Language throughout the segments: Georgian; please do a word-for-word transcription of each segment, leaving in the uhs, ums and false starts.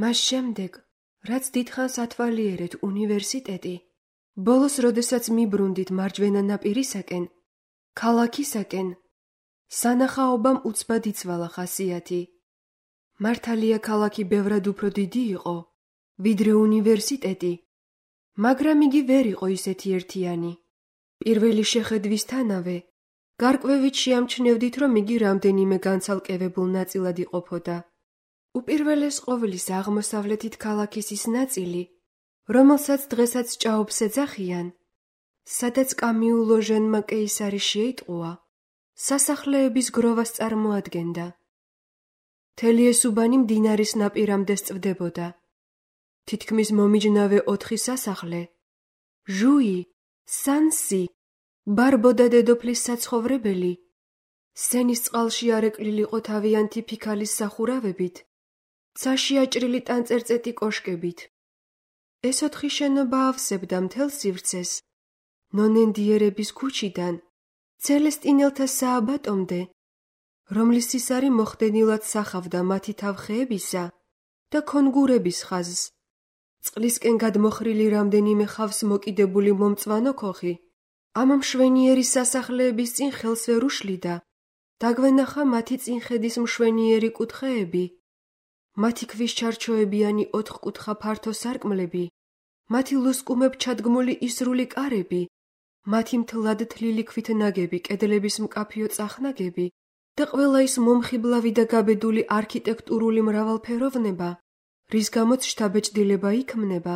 მას შემდეგ, რაც დიდხანს ათვალიერეთ უნივერსიტეტი, ბოლოს როდესაც მიბრუნდით მარჯვენა ნაპირისაკენ, ქალაქისაკენ, სანახაობამ უცბად იცვალა ხასიათი. მართალია ქალაქი ბევრად უფრო დიდი იყო, ვიდრე უნივერსიტეტი, მაგრამ იგი ვერ იყო ისეთი ერთიანი. პირველი შეხედვისთანავე, გარკვევით შეამჩნევდით, რომ იგი რამდენიმე განცალკევებულ ნაწილად იყოფოდა. უპირველეს ყოვლისა აღმოსავლეთით ქალაქის ის ნაწილი, რომელსაც დღესაც ჭაობს ეძახიან, სადაც კამიუ ლოჟენმა კეისარი შეიტყუა, სასახლეების გროვას წარმოადგენდა. მთელი ეს უბანი მდინარის ნაპირამდე სწვდებოდა. თითქმის მომიჯნავე ოთხი სასახლე, ჟუი, სანსი, ბარბო და დედოფლის საცხოვრებელი, სენის წყალში არეკლილიყო თავიანთი ფიქალის სახურავებით, ცაში აჭრილი ტანწერწეტი კოშკებით. ეს ოთხი შენობა ავსებდა მთელ სივრცეს, ნონენდიერების ქუჩიდან ცელესტინელთა სააბატომდე, რომლის სისარი მოხდენილად სახავდა მათი თავხეებისა და კონგურების ხაზს. წყლისკენ გადმოხრილი რამდენიმე ხავს მოკიდებული მომწვანო ქოხი, ამ მშვენიერი სასახლეების წინ ხელს ვერ უშლიდა. დაგვენახა მათი წინხედის მშვენიერი კუთხეები, მათი ქვისჩარჩოებიანი ოთხკუთხა ფართო სარკმლები, მათი ლუსკუმებ ჩადგმული ისრული კარები, მათი მთლად თლილი ქვით ნაგები კედლების მკაფიო წახნაგები და ყველა ის მომხიბლავი და გაბედული არქიტექტურული მრავალფეროვნება, რის გამოც შთაბეჭდილება იქმნება.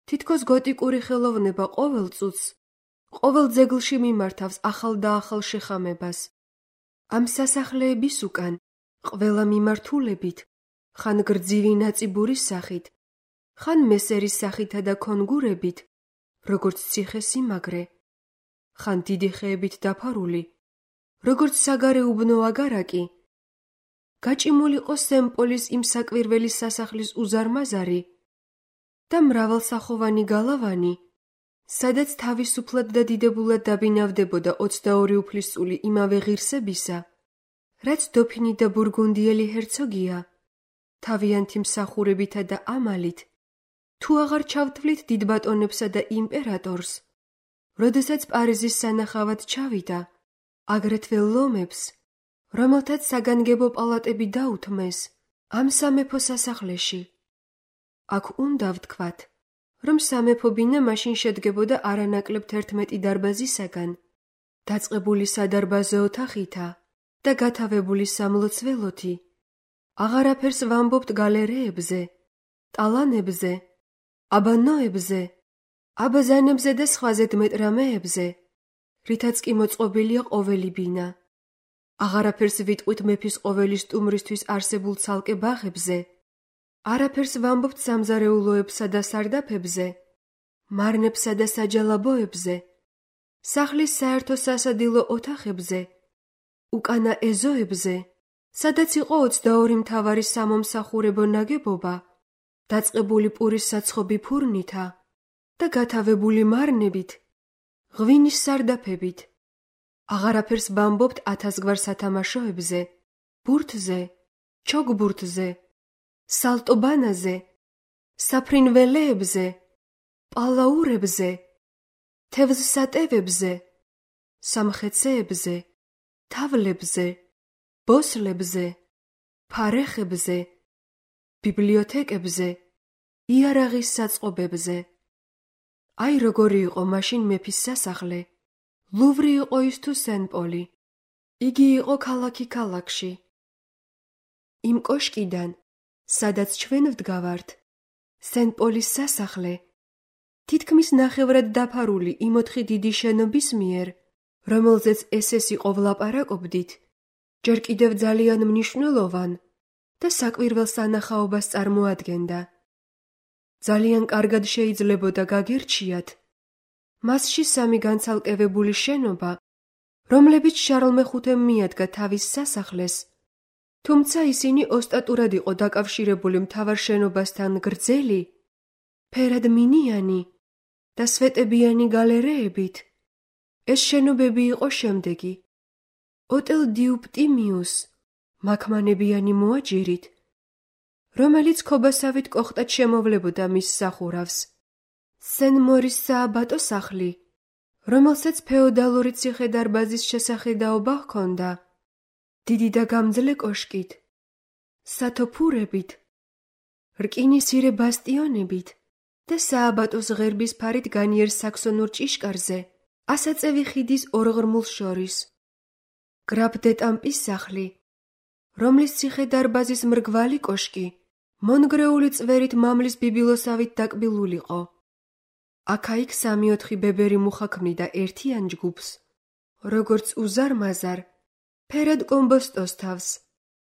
თითქოს გოტიკური ხელოვნება ყოველ წუთს, ყოველ ძეგლში მიმართავს ახალ და ახალ შეხამებას. ამ სასახლეების უკან, ყველა მიმართულებით, ხან გრძივი ნაწიბურის სახით, ხან მესერის სახითა და კონგურებით, როგორც ციხე-სიმაგრე, ხან დიდი ხეებით დაფარული, როგორც საგარეუბნო აგარაკი, გაჭიმულიყო სემპოლის იმ საკვირველი სასახლის უზარმაზარი და მრავალსახოვანი გალავანი, სადაც თავისუფლად და დიდებულად დაბინავდებოდა ოცდაორი უფლისწული იმავე ღირსებისა, რაც დოფინი და ბურგუნდიელი ჰერცოგია, თავიანთი მსახურებითა და ამალით, თუ აღარ ჩავთვლით დიდბატონებსა და იმპერატორს, როდესაც პარიზის სანახავად ჩავიდა, აგრეთვე ლომებს, რომელთაც საგანგებო პალატები დაუთმეს ამ სამეფო სასახლეში. აქ უნდა ვთქვათ, რომ სამეფო ბინა მაშინ შედგებოდა არანაკლებ თერთმეტი დარბაზისაგან, დაწყებული სადარბაზო ოთახითა და გათავებული სამლოცველოთი. აღარაფერს ვამბობთ გალერეებზე, ტალანებზე, აბანოებზე, აბაზანებზე და სხვა ზედმეტრამეებზე, რითაც კი მოწყობილია ყოველი ბინა. აღარაფერს ვიტყვით მეფის ყოველი სტუმრისთვის არსებულ ცალკე ბაღებზე, არაფერს ვამბობთ სამზარეულოებსა და სარდაფებზე, მარნებსა და საჯალაბოებზე, სახლის საერთო სასადილო ოთახებზე, უკანა ეზოებზე, სადაც იყო ოცდაორი მთავარი სამომსახურებო ნაგებობა, დაწყებული პურის საცხობი ფურნითა და გათავებული მარნებით, ღვინის სარდაფებით. აღარაფერს ვამბობთ ათასგვარ სათამაშოებზე, ბურთზე, ჩოგბურთზე, სალტობანაზე, საფრინველეებზე, პალაურებზე, თევზსატევებზე, სამხეცეებზე, თავლებზე, ბოსლებზე, ფარეხებზე, ბიბლიოთეკებზე, იარაღის საწყობებზე. აი როგორი იყო მაშინ მეფის სასახლე. ლუვრი იყო ის თუ სენ-პოლი. იგი იყო ქალაქი ქალაქში. იმ კოშკიდან, სადაც ჩვენ ვდგავართ, სენ-პოლის სასახლე, თითქმის ნახევრად დაფარული იმ ოთხი დიდი შენობის მიერ, რომელზეც ესეს იყო ვლაპარაკობდით, ჯერ კიდევ ძალიან მნიშვნელოვან და საკვირველ სანახაობას წარმოადგენდა. ძალიან კარგად შეიძლებოდა გაგერჩიათ მასში სამი განცალკევებული შენობა, რომლებიც შარლ მეხუთემ მიადგა თავის სასახლეს, თუმცა ისინი ოსტატურად იყო დაკავშირებული მთავარ შენობასთან გრძელი, ფერად მინიანი და სვეტებიანი გალერეებით. ეს შენობები იყო შემდეგი: ოტელ დიუ პტიმიუს, მაქმანებიანი მოაჯირით, რომელიც ქობასავით კოხტად შემოვლებოდა მის სახურავს. სენ-მორის სააბატო სახლი, რომელსაც ფეოდალური ციხე-დარბაზის შესახედაობა ჰქონდა, დიდი და გამძლე კოშკით, სათოფურებით, რკინისცირე ბასტიონებით და სააბატოს ღერბის ფარით განიერ საქსონურ ჭიშკარზე, ასაწევი ხიდის ორღრმულს შორის. გრაფ დე ტამპის სახლი, რომლის ციხე-დარბაზის მრგვალი კოშკი მონგრეული წვერით მამლის ბიბილოსავით დაკბილულიყო. აქა-იქ სამი-ოთხი ბებერი მუხა ქმნიდა ერთიან ჯგუფს, როგორც უზარ-მაზარ, ფერად კომბოსტოს თავს,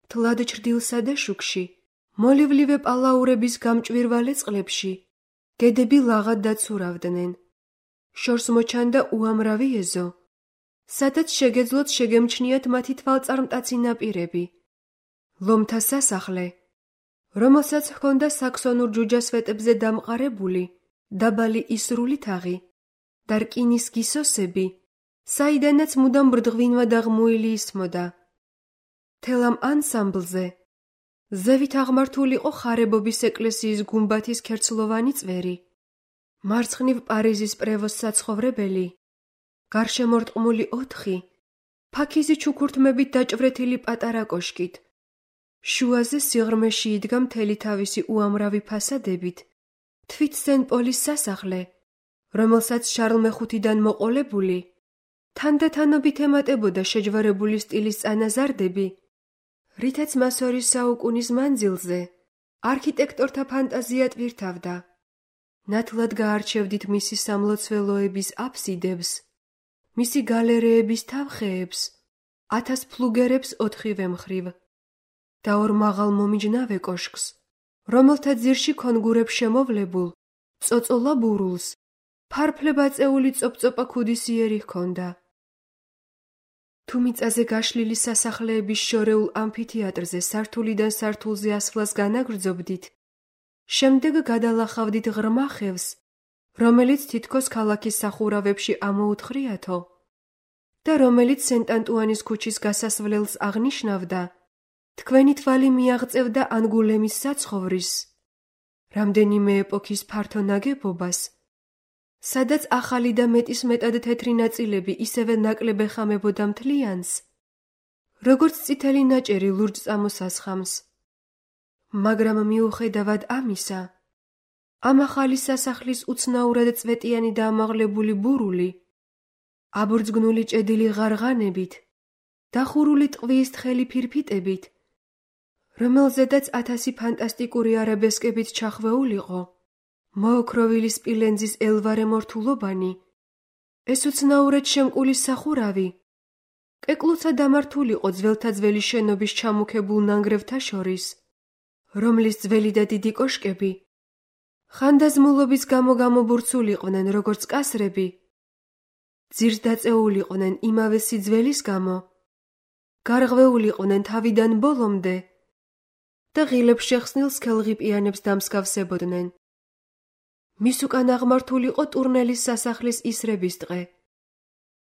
თლად ჩრდილსა და შუქში, მოლივლივე პალაურების გამჭვირვალე წყლებში, გედები ლაღად დაცურავდნენ. შორს მოჩანდა უამრავი ეზო, სადაც შეგეძლოთ შეგემჩნიათ მათი თვალწარმტაცი ნაპირები. ლომთა სასახლე, რომელსაც ჰქონდა საქსონურ ჯუჯასვეტებზე დამყარებული დაბალი ისრული თაღი და რკინის გისოსები, საიდანაც მუდამ ბრდღვინვა და ღმუილი ისმოდა. მთელ ამ ანსამბლზე ზევით აღმართულიყო ხარებობის ეკლესიის გუმბათის ქერცლოვანი წვერი, მარცხნივ პარიზის პრევოს საცხოვრებელი, გარშემორტყმული ოთხი, ფაქიზი ჩუქურთმებით დაჭვრეთილი პატარა კოშკით, შუაზე სიღრმეში იდგა მთელი თავისი უამრავი ფასადებით, თვით სენ-პოლის სასახლე, რომელსაც შარლ მეხუთიდან მოყოლებული, თანდათანობით ემატებოდა შეჯვარებული სტილის წანაზარდები, რითაც მას ორი საუკუნის მანძილზე არქიტექტორთა ფანტაზია ტვირთავდა. ნათლად გაარჩევდით მისი სამლოცველოების აფსიდებს, მისი გალერეების თავხეებს, ათას ფლუგერებს ოთხივე მხრივ და ორ მაღალ მომიჯნავე კოშკს, რომელთა ძირში ქონგურებს შემოვლებულ, წოწოლა ბურულს, ფარფლებ აწეული წოპწოპა ქუდისიერი ჰქონდა. თუ მიწაზე გაშლილი სასახლეების შორეულ ამფითეატრზე სართულიდან სართულზე ასვლას განაგრძობდით, შემდეგ გადალახავდით ღრმა ხევს, რომელიც თითქოს ქალაქის სახურავებში ამოუთხრიათო და რომელიც სენტ-ანტუანის ქუჩის გასასვლელს აღნიშნავდა, თქვენი თვალი მიაღწევდა ანგულემის საცხოვრის, რამდენიმე ეპოქის ფართო ნაგებობას, სადაც ახალი და მეტის მეტად თეთრი ნაწილები ისევე ნაკლებ ეხამებოდა მთლიანს, როგორც წითელი ნაჭერი ლურჯ წამოსასხამს. მაგრამ მიუხედავად ამისა, ამ ახალი სასახლის უცნაურად წვეტიანი და ამაღლებული ბურული, აბურძგნული ჭედილი ღარღანებით, დახურული ტყვიის თხელი ფირფიტებით, რომელზედაც ათასი ფანტასტიკური არაბესკებით ჩახვეულიყო, მოოქროვილი სპილენძის ელვარე მორთულობანი, ეს უცნაურად შემკული სახურავი, კეკლუცა დამართულიყო ძველთა ძველი შენობის ჩამუქებულ ნანგრევთა შორის, რომლის ძველი და დიდი კოშკები ხანდაზმულობის გამო გამობურცულიყვნენ როგორც კასრები, ძირს დაწეულიყვნენ იმავე სიძველის გამო, გარღვეულიყვნენ თავიდან ბოლომდე და ღილებ შეხსნილ სქელღიპიანებს დამსგავსებოდნენ. მის უკან აღმართულიყო ტურნელის სასახლის ისრების ტყე.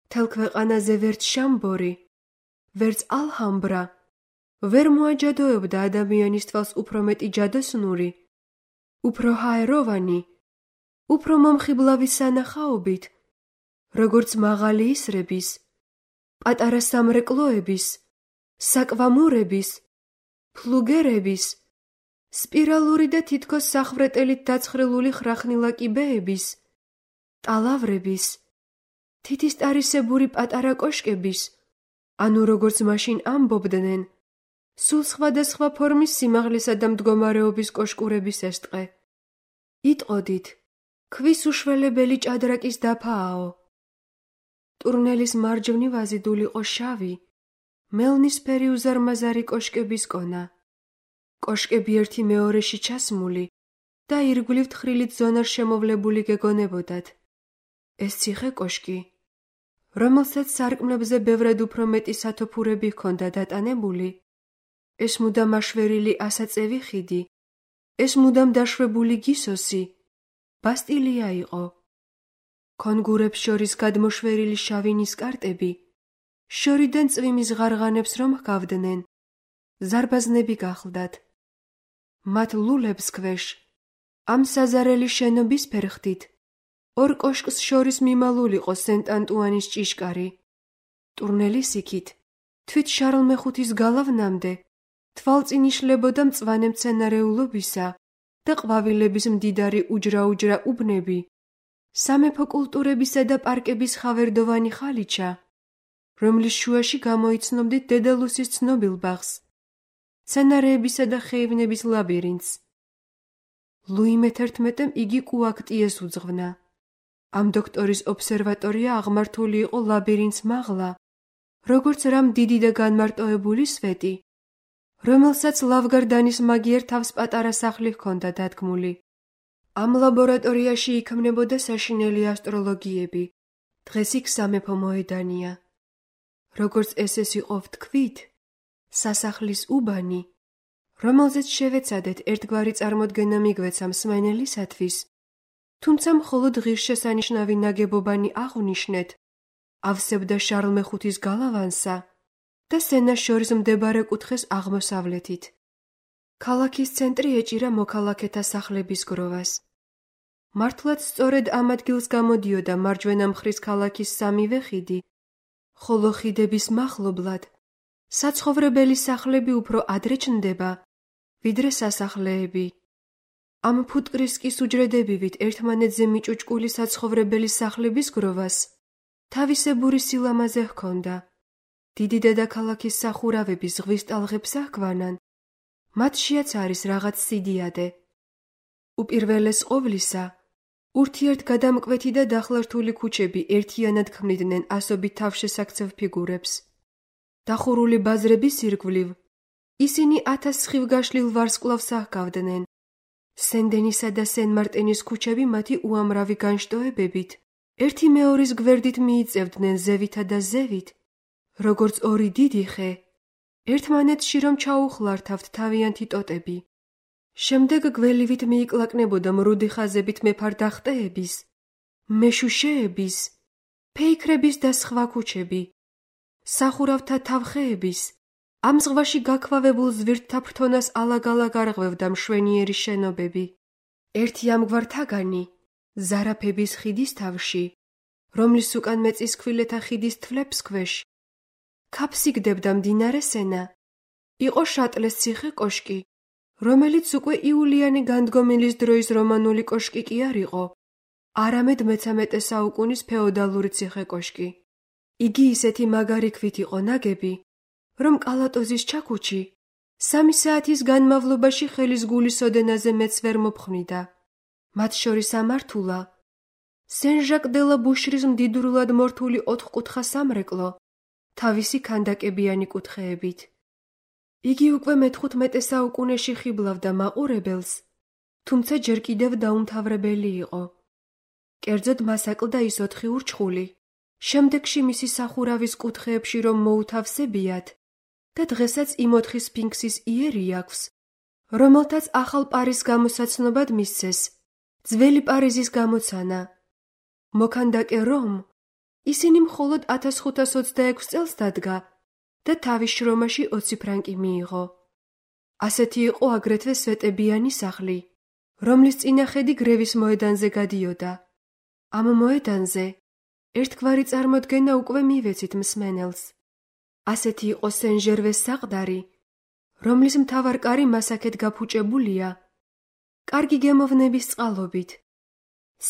მთელ ქვეყანაზე ვერც შამბორი, ვერც ალჰამბრა ვერ მოაჯადოებდა ადამიანის თვალს უფრო მეტი ჯადოსნური, უფრო ჰაეროვანი, უფრო მომხიბლავი სანახაობით, როგორც მაღალი ისრების, პატარა სამრეკლოების, საკვამურების, ფლუგერების, სპირალური და თითქოს სახვრეტელით დაცხრილული ხრახნილა კიბეების, ტალავრების, თითისტარისებური პატარა კოშკების, ანუ როგორც მაშინ ამბობდნენ, სულ სხვადასხვა ფორმის სიმაღლისა და მდგომარეობის კოშკურების ეს ტყე. იტყოდით, ქვის უშველებელი ჭადრაკის დაფააო. ტურნელის მარჯვნივ აზიდულიყო შავი, მელნისფერი უზარმაზარი კოშკების კონა. კოშკები ერთი მეორეში ჩასმული და ირგვლივ თხრილით ზონარ შემოვლებული გეგონებოდათ. ეს ციხე კოშკი, რომელსაც სარკმლებზე ბევრად უფრო მეტი სათოფურები ჰქონდა დატანებული, ეს მუდამ აშვერილი ასაწევი ხიდი, ეს მუდამ დაშვებული გისოსი, ბასტილია იყო. ქონგურებს შორის გადმოშვერილი შავი ნისკარტები, შორიდან წვიმის ღარღანებს რომ ჰგავდნენ, ზარბაზნები გახლდათ. მათ ლულებს ქვეშ, ამ საზარელი შენობის ფერხთით, ორ კოშკს შორის მიმალულიყო სენტ-ანტუანის ჭიშკარი. ტურნელის იქით, თვით შარლ მეხუთის გალავნამდე, თვალწინ იშლებოდა მწვანე მცენარეულობისა და ყვავილების მდიდარი უჯრა-უჯრა უბნები, სამეფო კულტურებისა და პარკების ხავერდოვანი ხალიჩა, რომლის შუაში გამოიცნობდით დედალუსის ცნობილ ბაღს, მცენარეებისა და ხეივნების ლაბირინთს. ლუი მეთერთმეტემ იგი კუაქტიეს უძღვნა. ამ დოქტორის ობსერვატორია აღმართული იყო ლაბირინთს მაღლა, როგორც რამ დიდი და განმარტოებული სვეტი, რომელსაც ლავგარდანის მაგიერ თავს პატარა სახლი ჰქონდა დადგმული. ამ ლაბორატორიაში იქმნებოდა საშინელი ასტროლოგიები, დღეს იქ სამეფო მოედანია. როგორც ესეც იყო ვთქვით, სასახლის უბანი, რომელზეც შევეცადეთ ერთგვარი წარმოდგენა მიგვეცა მსმენელისათვის, თუმცა მხოლოდ ღირსშესანიშნავი ნაგებობანი აღვნიშნეთ, ავსებდა შარლ მეხუთის გალავანსა და სენას შორის მდებარე კუთხეს აღმოსავლეთით. ქალაქის ცენტრი ეჭირა მოქალაქეთა სახლების გროვას. მართლაც სწორედ ამ ადგილს გამოდიოდა მარჯვენა მხრის ქალაქის სამივე ხიდი, ხოლო ხიდების მახლობლად საცხოვრებელი სახლები უფრო ადრე ჩნდება, ვიდრე სასახლეები. ამ ფუტკრისკის უჯრედებივით ერთმანეთზე მიჭუჭკული საცხოვრებელი სახლების გროვას თავისებური სილამაზე ჰქონდა. დიდი დედაქალაქის სახურავები ზღვის ტალღებს აჰგვანან, მათშიაც არის რაღაც სიდიადე. უპირველეს ყოვლისა, ურთიერთგადამკვეთი და დახლართული ქუჩები ერთიანად ქმნიდნენ ასობით თავშესაქცევ ფიგურებს. დახურული ბაზრების ირგვლივ ისინი ათას სხივგაშლილ ვარსკვლავს აჰგავდნენ. სენ-დენისა და სენ-მარტენის ქუჩები მათი უამრავი განშტოებებით ერთი მეორის გვერდით მიიწევდნენ ზევითა და ზევით, როგორც ორი დიდი ხე, ერთმანეთში რომ ჩაუხლართავთ თავიანთი ტოტები. შემდეგ გველივით მიიკლაკნებოდა მრუდი ხაზებით მეფარ-დახტეების, მეშუშეების, ფეიქრების და სხვა ქუჩები, სახურავთა თავხეების, ამ ზღვაში გაქვავებულ ზვირთთა ფრთონას ალაგ-ალაგ არღვევდა მშვენიერი შენობები. ერთი ამგვარ თაგანი, ზარაფების ხიდის თავში, რომლის უკან მეწისქვილეთა ხიდის თვლებს ქვეშ, ქაფსიგდებდა მდინარე სენა, იყო შატლეს ციხე კოშკი, რომელიც უკვე იულიანი განდგომილის დროის რომანული კოშკი კი არ იყო, არამედ მეცამეტე საუკუნის ფეოდალური ციხე კოშკი. იგი ისეთი მაგარი ქვით იყო ნაგები, რომ კალატოზის ჩაქუჩი სამი საათის განმავლობაში ხელის გულის ოდენაზე მეც ვერ მოფხვნიდა. მათ შორის ამართულა სენ-ჟაკ-დე-ლა ბუშრის მდიდრულად მორთული ოთხკუთხა სამრეკლო, თავისი ქანდაკებიანი კუთხეებით. იგი უკვე მეთხუთმეტე საუკუნეში ხიბლავდა მაყურებელს, თუმცა ჯერ კიდევ დაუმთავრებელი იყო. კერძოდ მას აკლდა ის ოთხი ურჩხული, შემდეგში მისი სახურავის კუთხეებში რომ მოუთავსებიათ და დღესაც იმ ოთხი სფინქსის იერი აქვს, რომელთაც ახალ პარის გამოსაცნობად მისცეს ძველი პარიზის გამოცანა. მოქანდაკე რომ ისინი მხოლოდ ათას ხუთას ოცდაექვსი წელს დადგა და თავის შრომაში ოცი ფრანკი მიიღო. ასეთი იყო აგრეთვე სვეტებიანი სახლი, რომლის წინახედი გრევის მოედანზე გადიოდა. ამ მოედანზე ერთგვარი წარმოდგენა უკვე მივეცით მსმენელს. ასეთი იყო სენ-ჟერვეს საყდარი, რომლის მთავარ-კარი მასაქეთ გაფუჭებულია, კარგი გემოვნების წყალობით.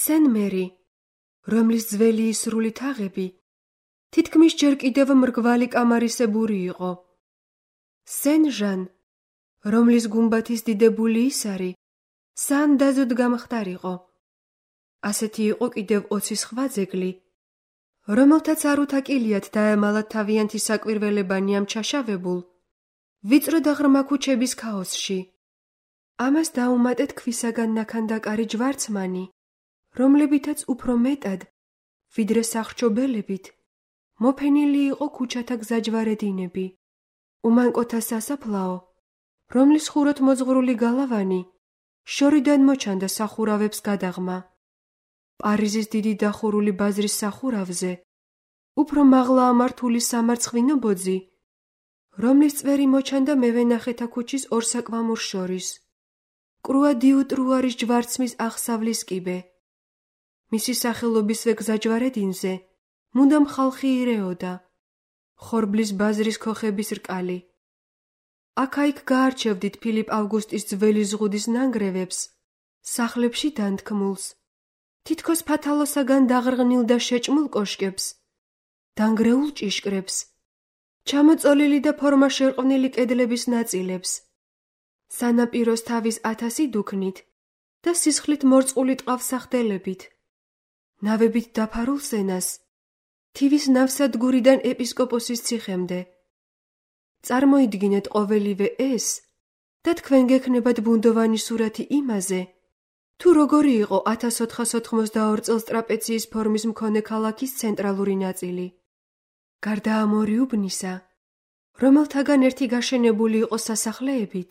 სენ-მერი, რომლის ძველი ისრული თაღები თითქმის ჯერ კიდევ მრგვალი კამარისებური იყო. სენ-ჟან, რომლის გუმბათის დიდებული ისარი საანდაზოდ გამხდარიყო. ასეთი იყო კიდევ ოცი სხვა ძეგლი, რომელთაც არ უთაკილიათ დაემალათ თავიანთი საკვირველებანი ამ ჩაშავებულ, ვიწრო და ღრმა ქუჩების ქაოსში. ამას დაუმატეთ ქვისაგან ნაქანდაკარი ჯვარცმანი, რომლებითაც უფრო მეტად, ვიდრე სახრჩობელებით, მოფენილი იყო ქუჩათა გზაჯვარედინები, უმანკოთა სასაფლაო, რომლის ხუროთ მოძღვრული გალავანი შორიდან მოჩანდა სახურავებს გადაღმა. პარიზის დიდი დახურული ბაზრის სახურავზე უფრო მაღლა ამართული სამარცხვინო ბოძი, რომლის წვერი მოჩანდა მევენახეთა ქუჩის ორ საკვამურს შორის. კრუადიუ ტრუარის ჯვარცმის აღსავლის კიბე. მისი სახელობისვე გზაჯვარედინზე მუდამ ხალხი ირეოდა. ხორბლის ბაზრის ქოხების რკალი. აქა-იქ გაარჩევდით ფილიპ ავგუსტის ძველი ზღუდის ნანგრევებს, სახლებში დანთქმულს, თითქოს ფათალოსაგან დაღრღნილ და შეჭმულ კოშკებს, დანგრეულ ჭიშკრებს, ჩამოწოლილი და ფორმა შერყვნილი კედლების ნაწილებს, სანაპიროს თავის ათასი დუქნით და სისხლით მორწყული ტყავსახდელებით, ნავებით დაფარულ სენას, თივის ნავსადგურიდან ეპისკოპოსის ციხემდე. წარმოიდგინეთ ყოველივე ეს და თქვენ გექნებათ ბუნდოვანი სურათი იმაზე, თუ როგორი იყო ათას ოთხას ოთხმოცდაორ წელს ტრაპეციის ფორმის მქონე ქალაქის ცენტრალური ნაწილი. გარდა ამ ორი უბნისა, რომელთაგან ერთი გაშენებული იყო სასახლეებით,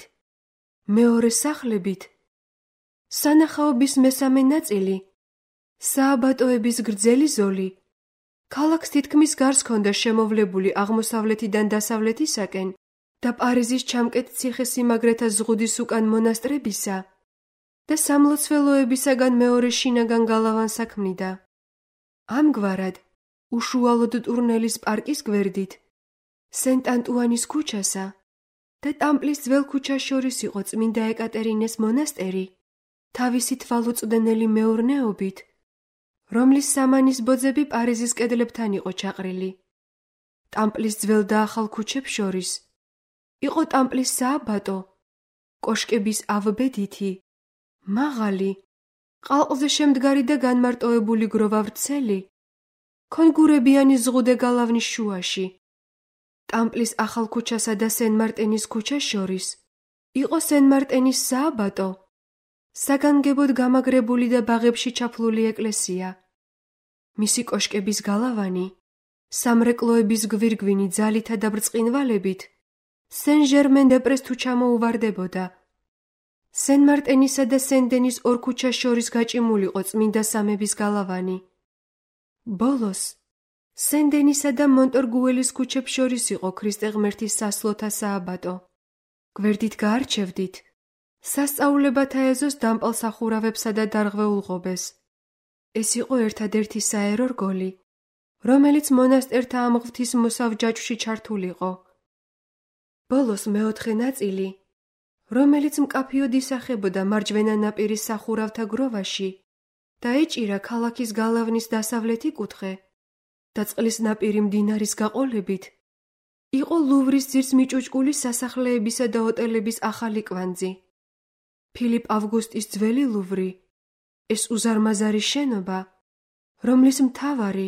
მეორე სახლებით, სანახაობის მესამე ნაწილი, სააბატოების გრძელი ზოლი, ქალაქს თითქმის გარს ჰქონდა შემოვლებული აღმოსავლეთიდან დასავლეთისაკენ და პარიზის ჩამკეთ ციხესიმაგრეთა ზღუდის უკან მონასტრებისა და სამლოცველოებისაგან მეორე შინაგან გალავანს საქმნიდა. ამგვარად, უშუალოდ ტურნელის პარკის გვერდით, სენტ-ანტუანის ქუჩასა და ტამპლის ძველ ქუჩას შორის იყო წმინდა ეკატერინეს მონასტერი, თავისი თვალუწვდენელი მეურნეობით, რომლის სამანის ბოძები პარიზის კედლებთან იყო ჩაყრილი. ტამპლის ძველ და ახალ ქუჩებს შორის იყო ტამპლის სააბატო, კოშკების ავბედითი, მაღალი, ყალყზე შემდგარი და განმარტოებული გროვა-ვრცელი, კონგურებიანი ზღუდე გალავნის შუაში. ტამპლის ახალ ქუჩასა და სენ-მარტენის ქუჩას შორის იყო სენ-მარტენის სააბატო, საგანგებოდ გამაგრებული და ბაღებში ჩაფლული ეკლესია. მისი კოშკების გალავანი, სამრეკლოების გვირგვინი ძალითა და ბრწყინვალებით, სენ-ჟერმენ-დე-პრეს თუ ჩამოუვარდებოდა. სენ-მარტენისა და სენ-დენის ორ ქუჩას შორის გაჭიმულიყო წმინდა სამების გალავანი. ბოლოს, სენ-დენისა და მონტორგუელის ქუჩებს შორის იყო ქრისტე ღმერთის სასლოთა სააბატო. გვერდით გაარჩევდით სასწაულებათა ეზოს დამპალ სახურავებსა და დარღვეულ ღობეს. ეს იყო ერთადერთი საერო რგოლი, რომელიც მონასტერთა ამ ღვთის მოსავ ჯაჭვში ჩართულიყო. ბოლოს მეოთხე ნაწილი, რომელიც მკაფიოდ ისახებოდა მარჯვენა ნაპირის სახურავთა გროვაში და ეჭირა ქალაქის გალავნის დასავლეთი კუთხე და წყლის ნაპირი მდინარის გაყოლებით, იყო ლუვრის ძირს მიჭუჭკული სასახლეებისა და ოტელების ახალი კვანძი. ფილიპ ავგუსტის ძველი ლუვრი, ეს უზარმაზარი შენობა, რომლის მთავარი,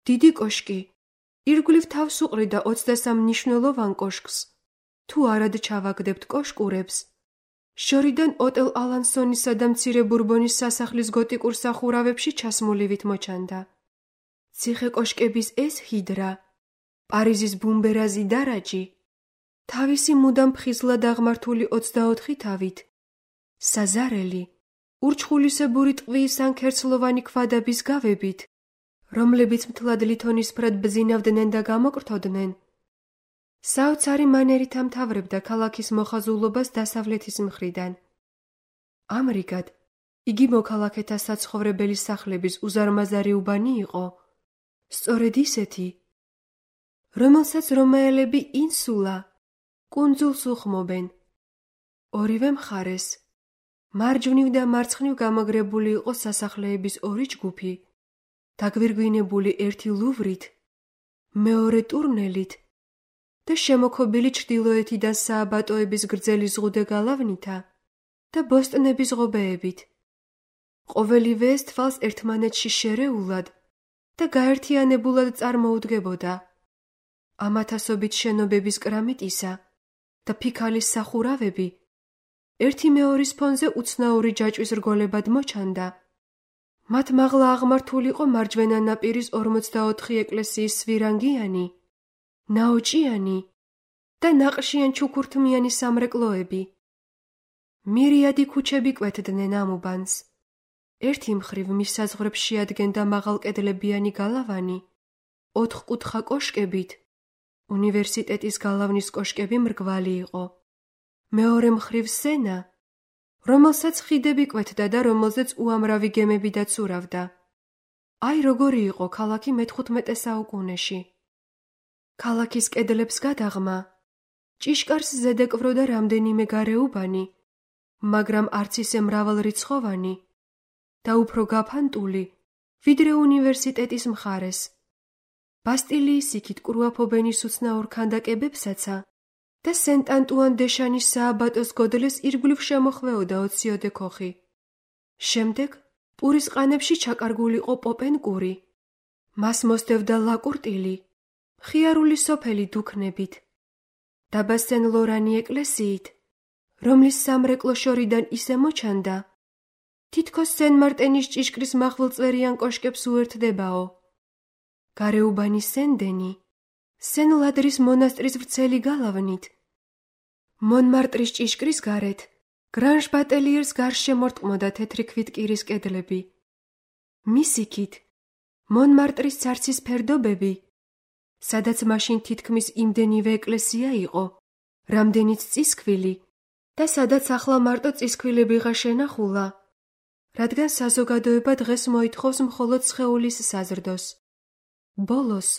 დიდი კოშკი, ირგვლივ თავს უყრიდა ოცდასამ მნიშვნელოვან კოშკს, თუ არად ჩავაგდებთ კოშკურებს, შორიდან ოტელ ალანსონისა და მცირე ბურბონის სასახლის გოტიკურ სახურავებში ჩასმულივით მოჩანდა. ციხე კოშკების ეს ჰიდრა, პარიზის ბუმბერაზი დარაჯი, თავისი მუდამ ფხიზლად აღმართული ოცდაოთხი თავით, საზარელი, ურჩხულისებური ტყვის ან ქერცლოვანი ქვადაბის გავებით, რომლებიც მთლად ლითონისფრად ბზინავდნენ და გამოკრთოდნენ, საოცარი მანერით ამთავრებდა ქალაქის მოხაზულობას დასავლეთის მხრიდან. ამრიგად, იგი მოქალაქეთა საცხოვრებელი სახლების უზარმაზარი უბანი იყო, სწორედ ისეთი, რომელსაც რომაელები ინსულა, კუნძულს უხმობენ. ორივე მხარეს, მარჯვნივ და მარცხნივ გამაგრებული იყო სასახლეების ორი ჯგუფი, დაგვირგვინებული ერთი ლუვრით, მეორე ტურნელით და შემოქობილი ჩრდილოეთიდან სააბატოების გრძელი ზღუდე გალავნითა და ბოსტნების ღობეებით. ყოველივე ეს თვალს ერთმანეთში შერეულად და გაერთიანებულად წარმოუდგებოდა. ამათასობით შენობების კრამიტისა და ფიქალის სახურავები ერთი მეორის ფონზე უცნაური ჯაჭვის რგოლებად მოჩანდა. მათ მაღლა აღმართულიყო მარჯვენა ნაპირის ორმოცდაოთხი ეკლესიის სვირანგიანი, ნაოჭიანი და ნაყშიან ჩუქურთმიანი სამრეკლოები. მირიადი ქუჩები კვეთდნენ ამ უბანს. ერთი მხრივ მის საზღვრებს შეადგენდა მაღალკედლებიანი გალავანი, ოთხკუთხა კოშკებით, უნივერსიტეტის გალავნის კოშკები მრგვალი იყო. მეორე მხრივ სენა, რომელსაც ხიდები კვეთდა და რომელზეც უამრავი გემები დაცურავდა. აი როგორი იყო ქალაქი მეთხუთმეტე საუკუნეში. ქალაქის კედლებს გადაღმა, ჭიშკარს ზედეკვროდა რამდენიმე გარეუბანი, მაგრამ არც ისე მრავალრიცხოვანი და უფრო გაფანტული, ვიდრე უნივერსიტეტის მხარეს. ბასტილიის იქით კრუაფობენ ის უცნაურ ქანდაკებებსაცა და სენტ-ანტუან-დე-შანის სააბატოს გოდლეს ირგვლივ შემოხვეოდა ოციოდე ქოხი. შემდეგ პურის ყანებში ჩაკარგულიყო პოპენკური, მას მოსდევდა ლაკურტილი, მხიარული სოფელი დუქნებით, დაბა სენ-ლორანი ეკლესიით, რომლის სამრეკლო შორიდან ისე მოჩანდა, თითქოს სენ-მარტენის ჭიშკრის მახვილწვერიან კოშკებს უერთდებაო. გარეუბანი სენ-დენი, სენ-ლადრის მონასტრის ვრცელი გალავნით, მონმარტრის ჭიშკრის გარეთ, გრანჟ ბატელიერს გარშე მორტყმოდა თეთრი ქვითკირის კედლები. მის იქით, მონმარტრის ცარცის ფერდობები, სადაც მაშინ თითქმის იმდენივე ეკლესია იყო, რამდენიც წისქვილი და სადაც ახლა მარტო წისქვილებიღა შენახულა, რადგან საზოგადოება დღეს მოითხოვს მხოლოდ სხეულის საზრდოს. ბოლოს,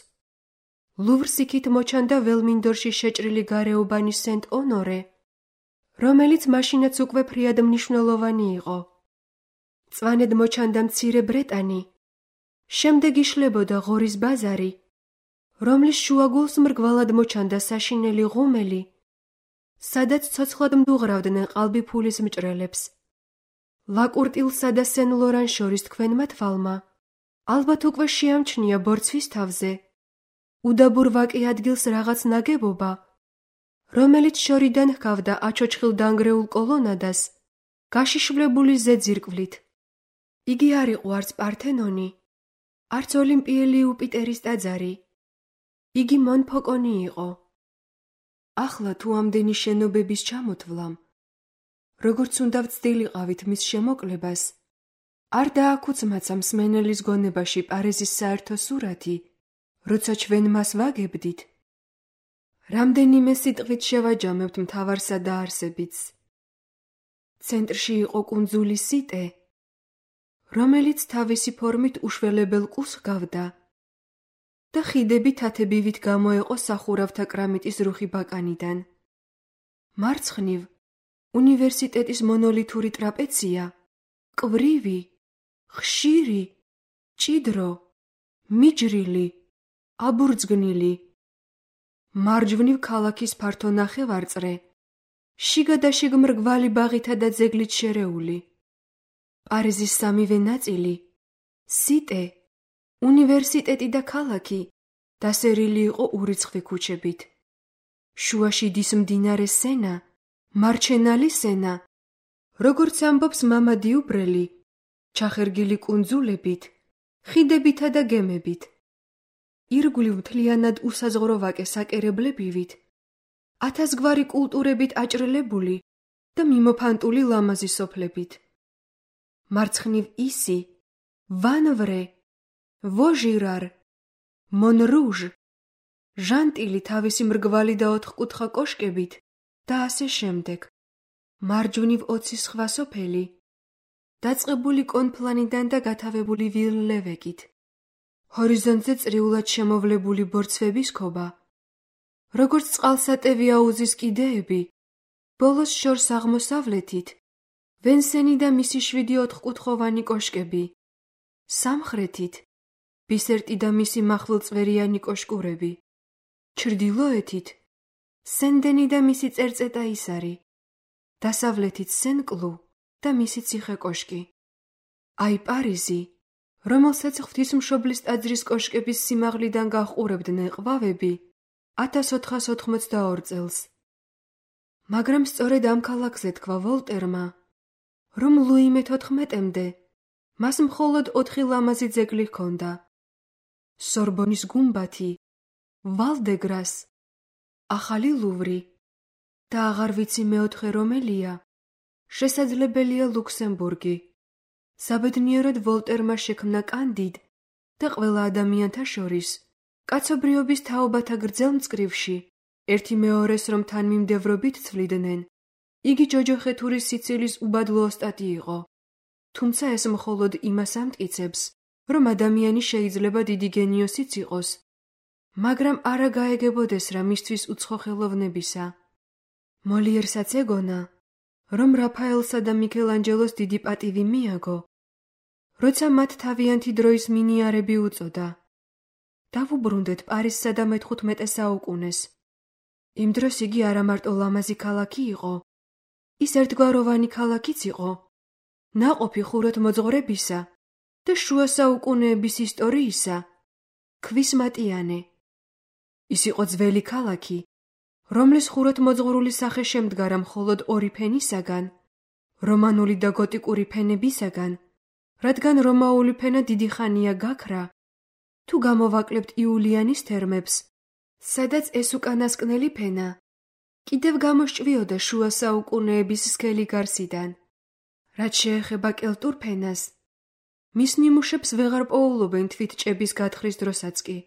ლუვრს იქით მოჩანდა ველმინდორში შეჭრილი გარეუბანი სენტ-ონორე, რომელიც მაშინაც უკვე ფრიად მნიშვნელოვანი იყო. წვანედ მოჩანდა მცირე ბრეტანი, შემდეგ იშლებოდა ღორის ბაზარი, რომლის შუაგულს მრგვალად მოჩანდა საშინელი ღუმელი, სადაც ცოცხლად მდუღრავდნენ ყალბი ფულის მჭრელებს. ლაკურტილსა და სენ-ლორან შორის თქვენმა თვალმა ალბათ უკვე შეამჩნია ბორცვის თავზე უდაბურ ვაკე ადგილს რაღაც ნაგებობა, რომელიც შორიდან ჰგავდა აჩოჩხილ დანგრეულ კოლონადას, გაშიშვლებული ზეძირკვლით. იგი არ იყო არც პართენონი, არც ოლიმპიელი იუპიტერის ტაძარი. იგი მონფოკონი იყო. ახლა თუ ამდენი შენობების ჩამოთვლამ, როგორც უნდა ვცდილიყავით მის შემოკლებას, არ დააქუცმაცა მსმენელის გონებაში პარიზის საერთო სურათი, როცა ჩვენ მას ვაგებდით. რამდენიმე სიტყვით შევაჯამებთ მთავარსა და არსებიც. ცენტრში იყო კუნძული სიტე, რომელიც თავისი ფორმით უშველებელ კუს ჰგავდა და ხიდები თათებივით გამოეყო სახურავთა კრამიტის რუხი ბაკანიდან. მარცხნივ უნივერსიტეტის მონოლითური ტრაპეცია, კვრივი, ხშირი, ჭიდრო, მიჯრილი, აბურძგნილი. მარჯვნივ ქალაქის ფართო ნახევარწრე, შიგა და შიგ მრგვალი ბაღითა და ძეგლით შერეული. პარიზის სამივე ნაწილი, სიტე, უნივერსიტეტი და ქალაქი დასერილი იყო ურიცხვი ქუჩებით. შუაში დის მდინარე სენა, მარჩენალი სენა, როგორც ამბობს მამა დიუბრელი, ჩახერგილი კუნძულებით, ხიდებითა და გემებით. ირგვლივ მთლიანად უსაზღვრო ვაკე საკერებლებივით, ათასგვარი კულტურებით აჭრილებული და მიმოფანტული ლამაზი სოფლებით. მარცხნივ ისი, ვანვრე, ვოჟირარ, მონრუჟ, ჟანტილი თავისი მრგვალი და ოთხკუთხა კოშკებით და ასე შემდეგ. მარჯვნივ ოცი სხვა სოფელი, დაწყებული კონფლანიდან და გათავებული ვილლევეკით. ჰორიზონტზე წრიულად შემოვლებული ბორცვების ქობა, როგორც წყალსატევი აუზის კიდეები, ბოლოს შორს აღმოსავლეთით, ვენსენი და მისი შვიდი ოთხკუთხოვანი კოშკები, სამხრეთით, ბისერტი და მისი მახვილწვერიანი კოშკურები, ჩრდილოეთით, სენ-დენი და მისი წერწეტა ისარი, დასავლეთით სენ-კლუ და მისი ციხე კოშკი. აი პარიზი, რომელსაც ღვთისმშობლის ტაძრის კოშკების სიმაღლიდან გაჰყურებდნენ ყვავები, ათას ოთხას ოთხმოცდაორ წელს. მაგრამ სწორედ ამ ქალაქზე თქვა ვოლტერმა, რომ ლუი მეთოთხმეტემდე მას მხოლოდ ოთხი ლამაზი ძეგლი ჰქონდა: სორბონის გუმბათი, ვალ-დე-გრას, ახალი ლუვრი და აღარ ვიცი მეოთხე რომელია, შესაძლებელია ლუქსემბურგი. საბედნიეროდ ვოლტერმა შექმნა კანდიდ და ყველა ადამიანთა შორის, კაცობრიობის თაობათა გრძელ მწკრივში, ერთი მეორეს რომ თანმიმდევრობით ცვლიდნენ, იგი ჯოჯოხეთურის სიცილის უბადლო ოსტატი იყო. თუმცა ეს მხოლოდ იმას ამტკიცებს, რომ ადამიანი შეიძლება დიდი გენიოსიც იყოს, მაგრამ არა გაეგებოდეს რა მისთვის უცხო ხელოვნებისა. მოლიერსაც ეგონა, რომ რაფაელსა და მიქელანჯელოს დიდი პატივი მიაგო, როცა მათ თავიანთი დროის მინიარები უწოდა. დავუბრუნდეთ პარიზსა და მეთხუთმეტე საუკუნეს. იმ დროს იგი არა მარტო ლამაზი ქალაქი იყო, ის ერთგვაროვანი ქალაქიც იყო, ნაყოფი ხუროთმოძღვრებისა და შუა საუკუნეების ისტორიისა, ქვის მატიანე. ის იყო ძველი ქალაქი, რომლის ხუროთმოძღვრული სახე შემდგარა მხოლოდ ორი ფენისაგან, რომანული და გოტიკური ფენებისაგან, რადგან რომაული ფენა დიდი ხანია გაქრა, თუ გამოვაკლებთ იულიანის თერმებს, სადაც ეს უკანასკნელი ფენა კიდევ გამოსჭვიოდა შუა საუკუნეების სქელი გარსიდან. რაც შეეხება კელტურ ფენას, მის ნიმუშებს ვეღარ პოულობენ თვით ჭების გათხრის დროსაც კი.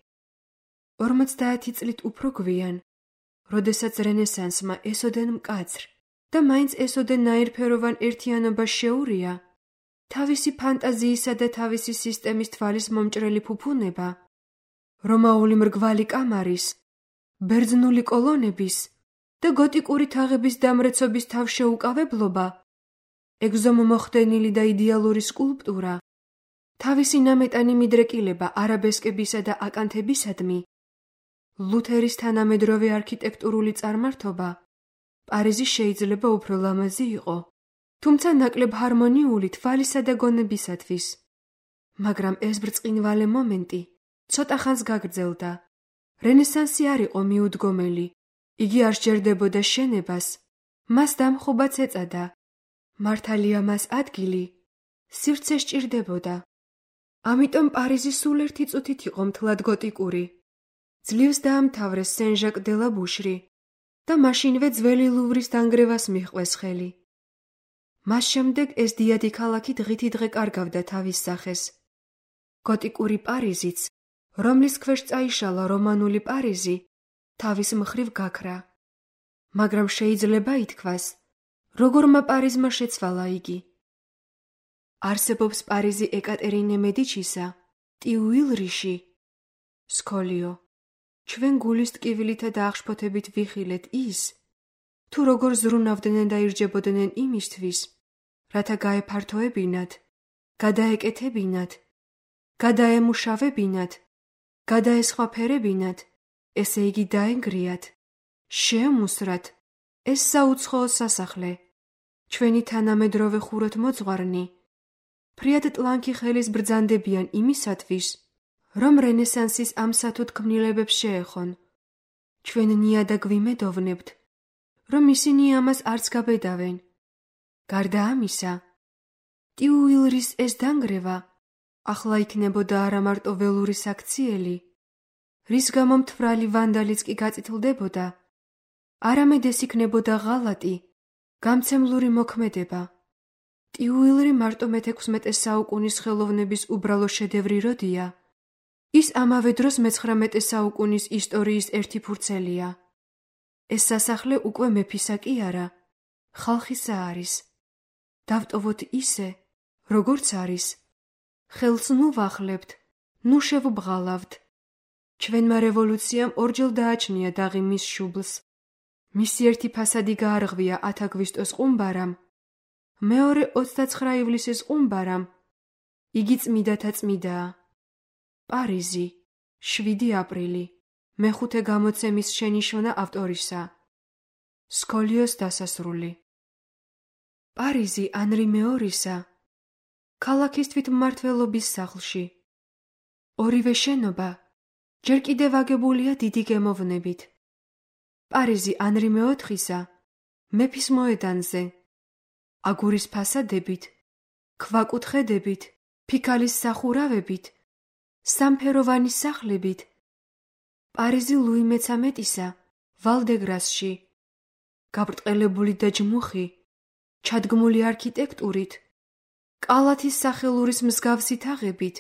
ორმოცდაათი წლით უფრო გვიან, როდესაც რენესანსმა ესოდენ მკაცრ და მაინც ესოდენ ნაირფეროვან ერთიანობას შეურია, თავისი ფანტაზიისა და თავისი სისტემის თვალის მომჭრელი ფუფუნება, რომაული მრგვალი კამარის, ბერძნული კოლონების და გოტიკური თაღების დამრეცობის თავშეუკავებლობა, ეგზომომოხდენილი და იდეალური სკულპტურა, თავისი ნამეტანი მიდრეკილება არაბესკებისა და აკანთებისადმი, ლუთერის თანამედროვე არქიტექტურული წარმართობა, პარიზი შეიძლება უფრო ლამაზი იყო, თუმცა ნაკლებ ჰარმონიული თვალისა და გონებისათვის. მაგრამ ეს ბრწყინვალე მომენტი ცოტა ხანს გაგრძელდა. რენესანსი არ იყო მიუდგომელი, იგი არ სჯერდებოდა შენებას, მას დამხობაც ეწადა. მართალია მას ადგილი, სივრცე სჭირდებოდა. ამიტომ პარიზი სულ ერთი წუთით იყო მთლად გოტიკური. ძლივს დაამთავრეს სენ-ჟაკ დე ლა ბუშრი და მაშინვე ძველი ლუვრის დანგრევას მიჰყვეს ხელი. მას შემდეგ ეს დიადი ქალაქი დღითი დღე კარგავდა თავის სახეს. გოტიკური პარიზიც, რომლის ქვეშ წაიშალა რომანული პარიზი, თავის მხრივ გაქრა. მაგრამ შეიძლება ითქვას, როგორმა პარიზმა შეცვალა იგი. არსებობს პარიზი ეკატერინე მედიჩისა, ტიუილრიში, სკოლიო. ჩვენ გულის ტკივილითა და აღშფოთებით ვიხილეთ ის, თუ როგორ ზრუნავდნენ და ირჯებოდნენ იმისთვის, რათა გაეფართოებინათ, გადაეკეთებინათ, გადაემუშავებინათ, გადაესხვაფერებინათ, ესე იგი დაენგრიათ, შეემუსრათ ეს საუცხოო სასახლე, ჩვენი თანამედროვე ხუროთმოძღვარნი, ფრიად ტლანქი ხელის ბრძანდებიან იმისათვის, რომ რენესანსის ამ სათუთ ქმნილებებს შეეხონ. ჩვენ ნიადაგ ვიმედოვნებთ, რომ ისინი ამას არც გაბედავენ. გარდა ამისა, ტიუილრის ეს დანგრევა ახლა იქნებოდა არა მარტო ველური საქციელი, რის გამო მთვრალი ვანდალიც კი გაწითლდებოდა, არამედ ეს იქნებოდა ღალატი, გამცემლური მოქმედება. ტიუილრი მარტო მეთექვსმეტე საუკუნის ხელოვნების უბრალო შედევრი როდია, ის ამავე დროს მეცხრამეტე საუკუნის ისტორიის ერთი ფურცელია. ეს სასახლე უკვე მეფისა კი არა, ხალხისა არის. დავტოვოთ ისე, როგორც არის. ხელს ნუ ვახლებთ, ნუ შევბღალავთ. ჩვენმა რევოლუციამ ორჯერ დააჩნია დაღი მის შუბლს. მისი ერთი ფასადი გაარღვია ათ აგვისტოს ყუმბარამ, მეორე ოცდაცხრა ივლისის ყუმბარამ. იგი წმიდათა წმიდაა. პარიზი, შვიდი აპრილი, მეხუთე გამოცემის შენიშვნა ავტორისა. სკოლიოს დასასრული. პარიზი ანრი მეორისა, ქალაქის თვითმმართველობის სახლში. ორივე შენობა ჯერ კიდევ აგებულია დიდი გემოვნებით. პარიზი ანრი მეოთხისა, მეფის მოედანზე, აგურის ფასადებით, ქვაკუთხედებით, ფიქალის სახურავებით, სამფეროვანი სახლებით. პარიზი ლუი მეცამეტისა, ვალ-დე-გრასში, გაბრტყელებული და ჯმუხი, ჩადგმული არქიტექტურით, კალათის სახელურის მსგავსი თაღებით,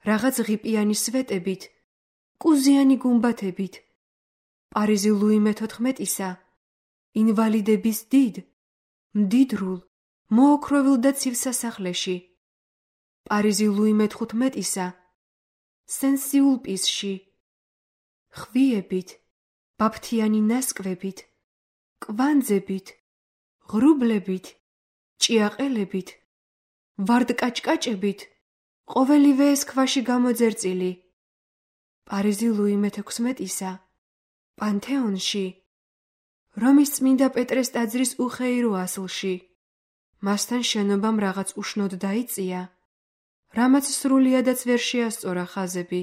რაღაც ღიპიანი სვეტებით, კუზიანი გუმბათებით. პარიზი ლუი მეთოთხმეტისა, ინვალიდების დიდ მდიდრულ, მოოქროვილ და ცივ სასახლეში, პარიზი ლუი მეთხუთმეტისა, სენსიულ პისში, ხვიებით, ბაფთიანი ნასკვებით, კვანძებით, ღრუბლებით, ჭიაყელებით, ვარდკაჭკაჭებით, ყოველივე ეს ქვაში გამოძერწილი, პარიზი ლუი მეთექვსმეტისა, პანთეონში, რომის წმინდა პეტრეს ტაძრის უხეირო ასლში, მასთან შენობამ რაღაც უშნოდ დაიწია, რამაც სრულიადაც ვერ შეასწორა ხაზები,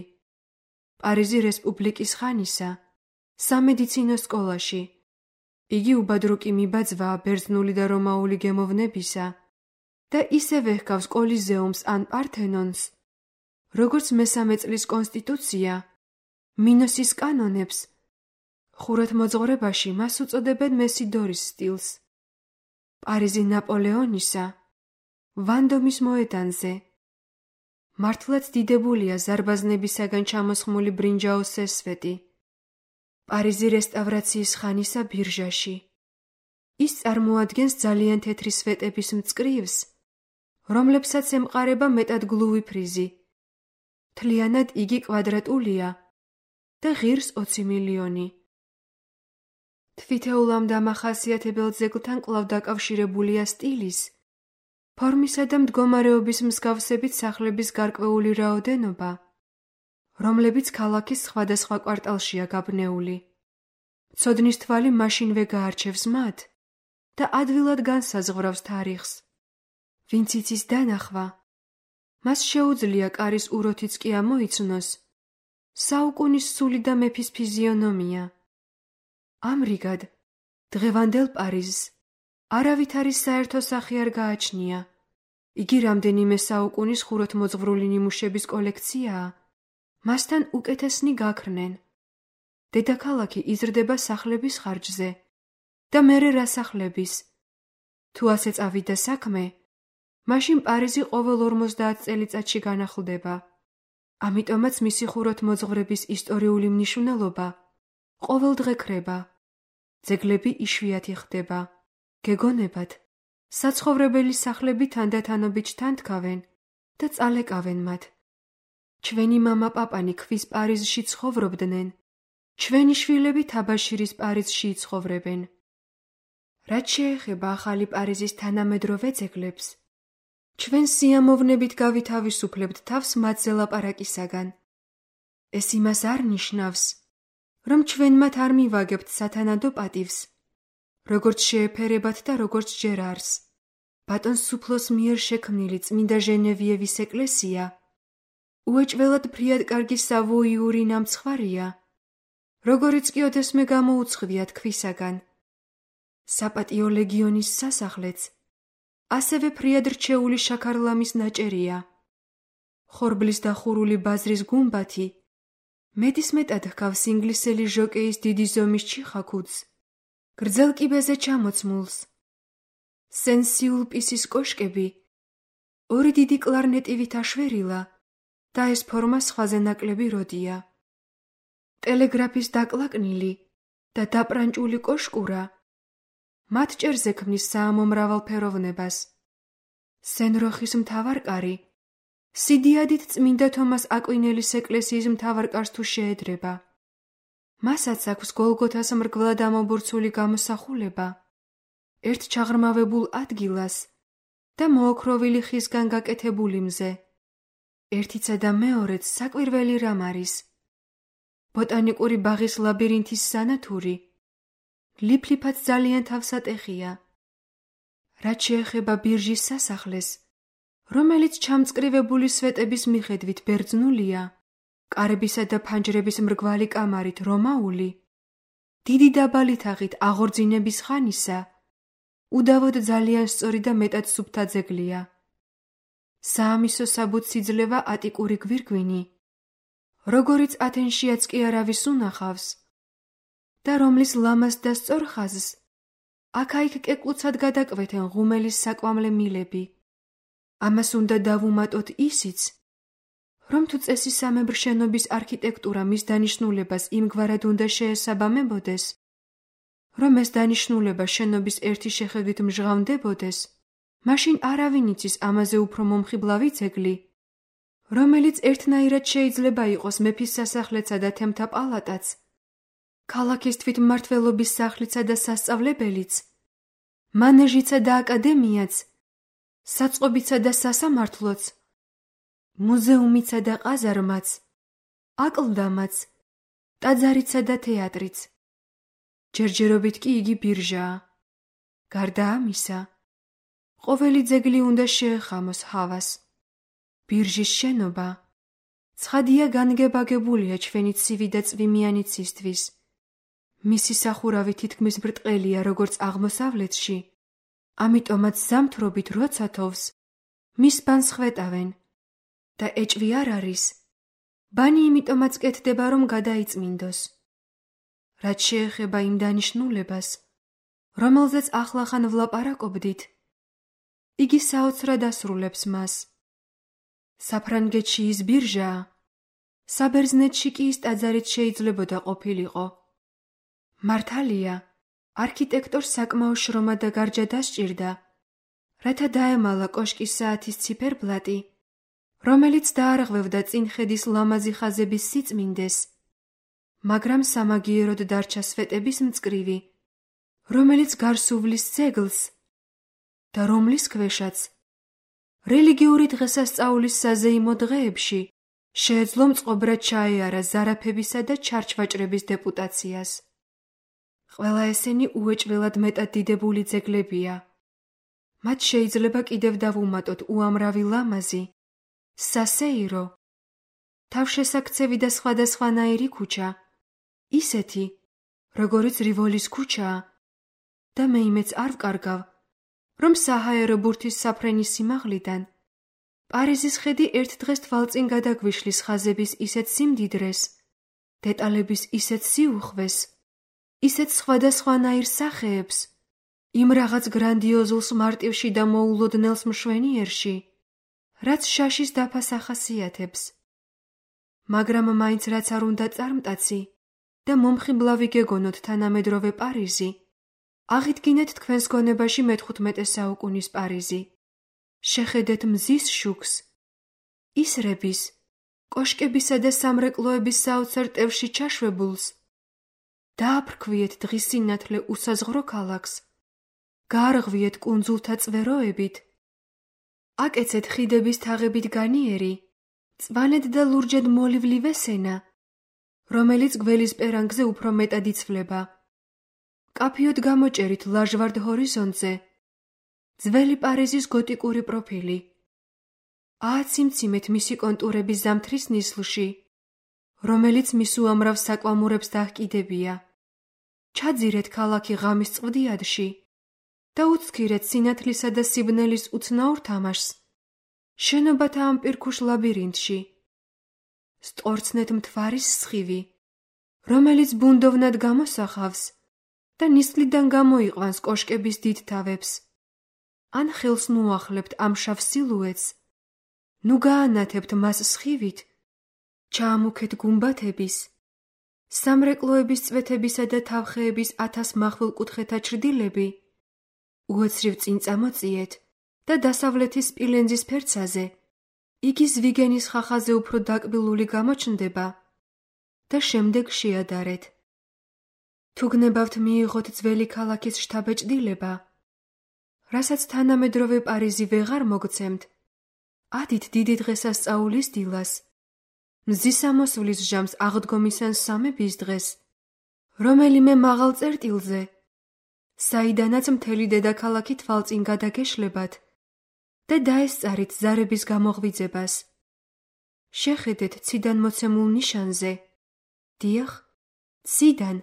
პარიზი რესპუბლიკის ხანისა, სამედიცინო სკოლაში, იგი უბადრუკი მიბაძვაა ბერძნული და რომაული გემოვნებისა და ისევ ეჰგავს კოლიზეუმს ან პართენონს, როგორც მესამე წლის კონსტიტუცია, მინოსის კანონებს, ხურათმოძღვრებაში მას უწოდებენ მესიდორის სტილს, პარიზი ნაპოლეონისა, ვანდომის მოედანზე, მართლაც დიდებულია ზარბაზნებისაგან ჩამოსხმული ბრინჯაოს სესვეტი, პარიზი რესტავრაციის ხანისა ბირჟაში. ის წარმოადგენს ძალიან თეთრი სვეტების მწკრივს, რომლებსაც ემყარება მეტად გლუვი ფრიზი. მთლიანად იგი კვადრატულია და ღირს ოცი მილიონი. თვითეულ ამ დამახასიათებელ ძეგლთან კვლავ დაკავშირებულია სტილის, ფორმისა და მდგომარეობის მსგავსებით სახლების გარკვეული რაოდენობა, რომლებიც ქალაქის სხვადასხვა კვარტალშია გაბნეული. ცოდნის თვალი მაშინვე გაარჩევს მათ და ადვილად განსაზღვრავს თარიღს. ვინც იცის დანახვა, მას შეუძლია კარის უროთიც კი ამოიცნოს საუკუნის სული და მეფის ფიზიონომია. ამრიგად, დღევანდელ პარიზს არავითარი საერთო სახე არ გააჩნია. იგი რამდენიმე საუკუნის ხუროთმოძღვრული ნიმუშების კოლექციაა, მასთან უკეთესნი გაქრნენ. დედაქალაქი იზრდება სახლების ხარჯზე და მერე რა სახლების. თუ ასე წავიდა საქმე, მაშინ პარიზი ყოველ ორმოცდაათ წელიწადში განახლდება. ამიტომაც მისი ხუროთმოძღვრების ისტორიული მნიშვნელობა ყოველდღე ქრება. ძეგლები იშვიათი ხდება. გეგონებათ, საცხოვრებელი სახლები თანდათანობით ჩთანთქავენ და წალეკავენ მათ. ჩვენი მამა პაპანი ქვის პარიზში ცხოვრობდნენ, ჩვენი შვილები თაბაშირის პარიზში იცხოვრებენ. რაც შეეხება ახალი პარიზის თანამედროვე ძეგლებს, ჩვენ სიამოვნებით გავითავისუფლებთ თავს მათზე ლაპარაკისაგან. ეს იმას არ ნიშნავს, რომ ჩვენ მათ არ მივაგებთ სათანადო პატივს, როგორც შეეფერებათ და როგორც ჯერ არს. ბატონ სუფლოს მიერ შექმნილი წმინდა ჟენევიევის ეკლესია უეჭველად ფრიადკარგი სავოიური ნამცხვარია, როგორიც კი ოდესმე გამოუცხვია თქვისაგან. საპატიო ლეგიონის სასახლეც ასევე ფრიად რჩეული შაქარლამის ნაჭერია. ხორბლის და ხურული ბაზრის გუმბათი მეტისმეტად ჰგავს ინგლისელი ჟოკეის დიდი ზომის ჩიხაქუდს, გრძელ კიბეზე ჩამოცმულს. სენსიულ პისის კოშკები ორი დიდი კლარნეტივით აშვერილა და ეს ფორმა სხვაზე ნაკლები როდია. ტელეგრაფის დაკლაკნილი და დაპრანჭული კოშკურა მათ ჭერზე ქმნის საამომრავალფეროვნებას. სენ-როხის მთავარკარი სიდიადით წმინდა თომას აკვინელის ეკლესიის მთავარკარს თუ შეედრება. მასაც აქვს გოლგოთას მრგვლად ამობურცული გამოსახულება, ერთ ჩაღრმავებულ ადგილას და მოოქროვილი ხისგან გაკეთებული მზე. ერთიცა და მეორეც საკვირველი რამ არის. ბოტანიკური ბაღის ლაბირინთის სანათური ლიფლიფად ძალიან თავსატეხია. რაც შეეხება ბირჟის სასახლეს, რომელიც ჩამწკრივებული სვეტების მიხედვით ბერძნულია, კარებისა და ფანჯრების მრგვალი კამარით რომაული, დიდი დაბალი თაღით აღორძინების ხანისა, უდავოდ ძალიან სწორი და მეტად სუფთა ძეგლია. საამისო საბუთს იძლევა ატიკური გვირგვინი, როგორიც ათენშიაც კი არავის უნახავს და რომლის ლამაზ და სწორ ხაზს აქა-იქ კეკლუცად გადაკვეთენ ღუმელის საკვამლე მილები. ამას უნდა დავუმატოთ ისიც, რომ თუ წესისამებრ შენობის არქიტექტურა მის დანიშნულებას იმგვარად უნდა შეესაბამებოდეს, რომ ეს დანიშნულება შენობის ერთი შეხედვით მჟღავნდებოდეს, მაშინ არავინ იცის ამაზე უფრო მომხიბლავი ძეგლი, რომელიც ერთნაირად შეიძლება იყოს მეფის სასახლეცა და თემთა პალატაც, ქალაქის თვითმმართველობის სახლისა და სასწავლებელიც, მანეჟიცა და აკადემიაც, საწყობიცა და სასამართლოც, მუზეუმიცა და ყაზარმაც, აკლდამაც, ტაძარიცა და თეატრიც. ჯერჯერობით კი იგი ბირჟაა. გარდა ამისა, ყოველი ძეგლი უნდა შეეხამოს ჰავას. ბირჟის შენობა ცხადია განგებაგებულია ჩვენი ცივი და წვიმიანი ცისთვის. მისი სახურავი თითქმის ბრტყელია როგორც აღმოსავლეთში, ამიტომაც ზამთრობით როცა თოვს, მის ბანს ხვეტავენ და ეჭვი არ არის. ბანი იმიტომაც კეთდება, რომ გადაიწმინდოს. რაც შეეხება იმ დანიშნულებას, რომელზეც ახლახან ვლაპარაკობდით, იგი საოცრად ასრულებს მას. საფრანგეთში ის ბირჟაა, საბერძნეთში კი ის ტაძარით შეიძლებოდა ყოფილიყო. მართალია, არქიტექტორს საკმაო შრომა და გარჯა დასჭირდა, რათა დაემალა კოშკის საათის ციფერბლატი, რომელიც დაარღვევდა წინხედის ლამაზი ხაზების სიწმინდეს, მაგრამ სამაგიეროდ დარჩა სვეტების მწკრივი, რომელიც გარს უვლის ძეგლს და რომლის ქვეშაც რელიგიური დღესასწაულის საზეიმო დღეებში შეეძლო მწყობრად ჩაეარა ზარაფებისა და ჩარჩვაჭრების დეპუტაციას. ყველა ესენი უეჭველად მეტად დიდებული ძეგლებია. მათ შეიძლება კიდევ დავუმატოთ უამრავი ლამაზი, სასეირო, თავშესაქცევი და სხვადასხვანაირი ქუჩა, ისეთი, როგორიც რივოლის ქუჩაა და მე იმეც არ ვკარგავ, რომ საჰაერო ბურთის საფრენის სიმაღლიდან პარიზის ხედი ერთ დღეს თვალწინ გადაგვიშლის ხაზების ისეთ სიმდიდრეს, დეტალების ისეთ სიუხვეს, ისეთ სხვადასხვანაირ სახეებს, იმ რაღაც გრანდიოზულს მარტივში და მოულოდნელს მშვენიერში, რაც შაშის დაფას ახასიათებს. მაგრამ მაინც რაც არ უნდა წარმტაცი და მომხიბლავი გეგონოთ თანამედროვე პარიზი, აღიდგინეთ თქვენს გონებაში მეთხუთმეტე საუკუნის პარიზი. შეხედეთ მზის შუქს, ისრების, კოშკებისა და სამრეკლოების საოცარ ტევში ჩაშვებულს. დააფრქვიეთ დღის სინათლე უსაზღვრო ქალაქს, გაარღვიეთ კუნძულთა წვეროებით, აკეცეთ ხიდების თაღებით განიერი, მწვანედ და ლურჯად მოლივლი ვესენა, რომელიც გველის პერანგზე უფრო მეტად იცვლება. კაფიოდ გამოჭერით ლაჟვარდ ჰორიზონტზე, ძველი პარიზის გოტიკური პროფილი. ააციმციმეთ მისი კონტურების ზამთრის ნისლში, რომელიც მის უამრავ საკვამურებს დაჰკიდებია. ჩაძირეთ ქალაქი ღამის წვდიადში და უცქირეთ სინათლისა და სიბნელის უცნაურ თამაშს შენობათა ამ პირქუშ ლაბირინთში. სტყორცნეთ მთვარის სხივი, რომელიც ბუნდოვნად გამოსახავს და ნისლიდან გამოიყვანს კოშკების დიდ თავებს. ან ხელს ნუახლებთ ამ შავ სილუეტს, ნუ გაანათებთ მას სხივით, ჩაამუქეთ გუმბათების, სამრეკლოების წვეთებისა და თავხეების ათას მახვილ კუთხეთა ჩრდილები, უეცრივ წინ წამოწიეთ და დასავლეთის სპილენძის ფერცაზე იგი ზვიგენის ხახაზე უფრო დაკბილული გამოჩნდება და შემდეგ შეადარეთ. თუ გნებავთ მიიღოთ ძველი ქალაქის შთაბეჭდილება, რასაც თანამედროვე პარიზი ვეღარ მოგცემთ, ადით დიდი დღესასწაულის დილას, მზის ამოსვლის ჟამს აღდგომისან სამების დღეს, რომელიმე მაღალ წერტილზე, საიდანაც მთელი დედაქალაქი თვალწინ გადაგეშლებათ და დაესწარით ზარების გამოღვიძებას. შეხედეთ ციდან მოცემულ ნიშანზე. დიახ, ციდან,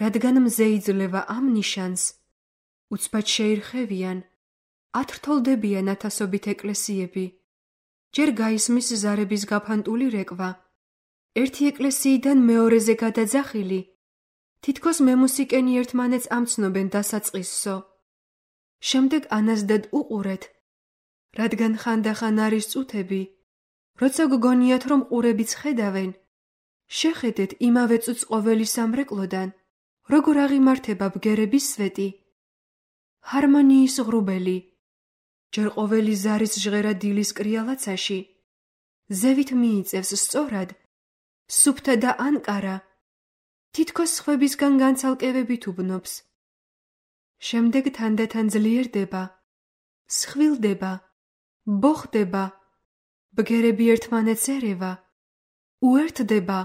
რადგან მზე იძლევა ამ ნიშანს. უცბად შეირხევიან, ათრთოლდებიან ათასობით ეკლესიები. ჯერ გაისმის ზარების გაფანტული რეკვა. ერთი ეკლესიიდან მეორეზე გადაძახილი, თითქოს მემუსიკენი ერთმანეთს ამცნობენ დასაწყისსო. შემდეგ ანაზდად უყურეთ, რადგან ხანდახან არის წუთები, როცა გგონიათ, რომ ყურებიც ხედავენ. შეხედეთ იმავე წუთს ყოველი სამრეკლოდან, როგორ აღიმართება ბგერების სვეტი, ჰარმონიის ღრუბელი, ჯერ ყოველი ზარის ჟღერა დილის კრიალაცაში, ზევით მიიწევს სწორად, სუფთა და ანკარა, თითქოს სხვებისგან განცალკევებით უბნობს. შემდეგ თანდათან ძლიერდება, სხვილდება, ბოხდება, ბგერები ერთმანეთს ერევა, უერთდება,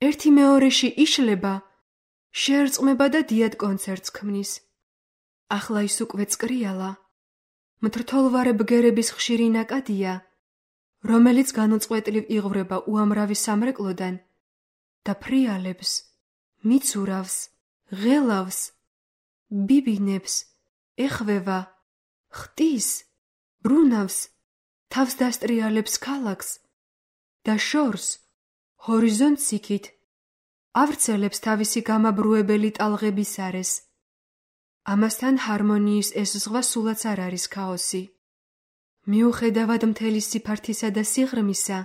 ერთი მეორეში იშლება, შეერწყმება და დიად კონცერტს ქმნის. ახლა ის უკვე წკრიალა, მთრთოლვარე ბგერების ხშირი ნაკადია, რომელიც განუწყვეტლივ იღვრება უამრავი სამრეკლოდან და ფრიალებს, მიცურავს, ღელავს, ბიბინებს, ეხვევა, ხტის, ბრუნავს, თავს დასტრიალებს ქალაქს და შორს, ჰორიზონტს იქით, ავრცელებს თავისი გამაბრუებელი ტალღების არეს. ამასთან ჰარმონიის ეს ზღვა სულაც არ არის ქაოსი. მიუხედავად მთელი სიფართისა და სიღრმისა,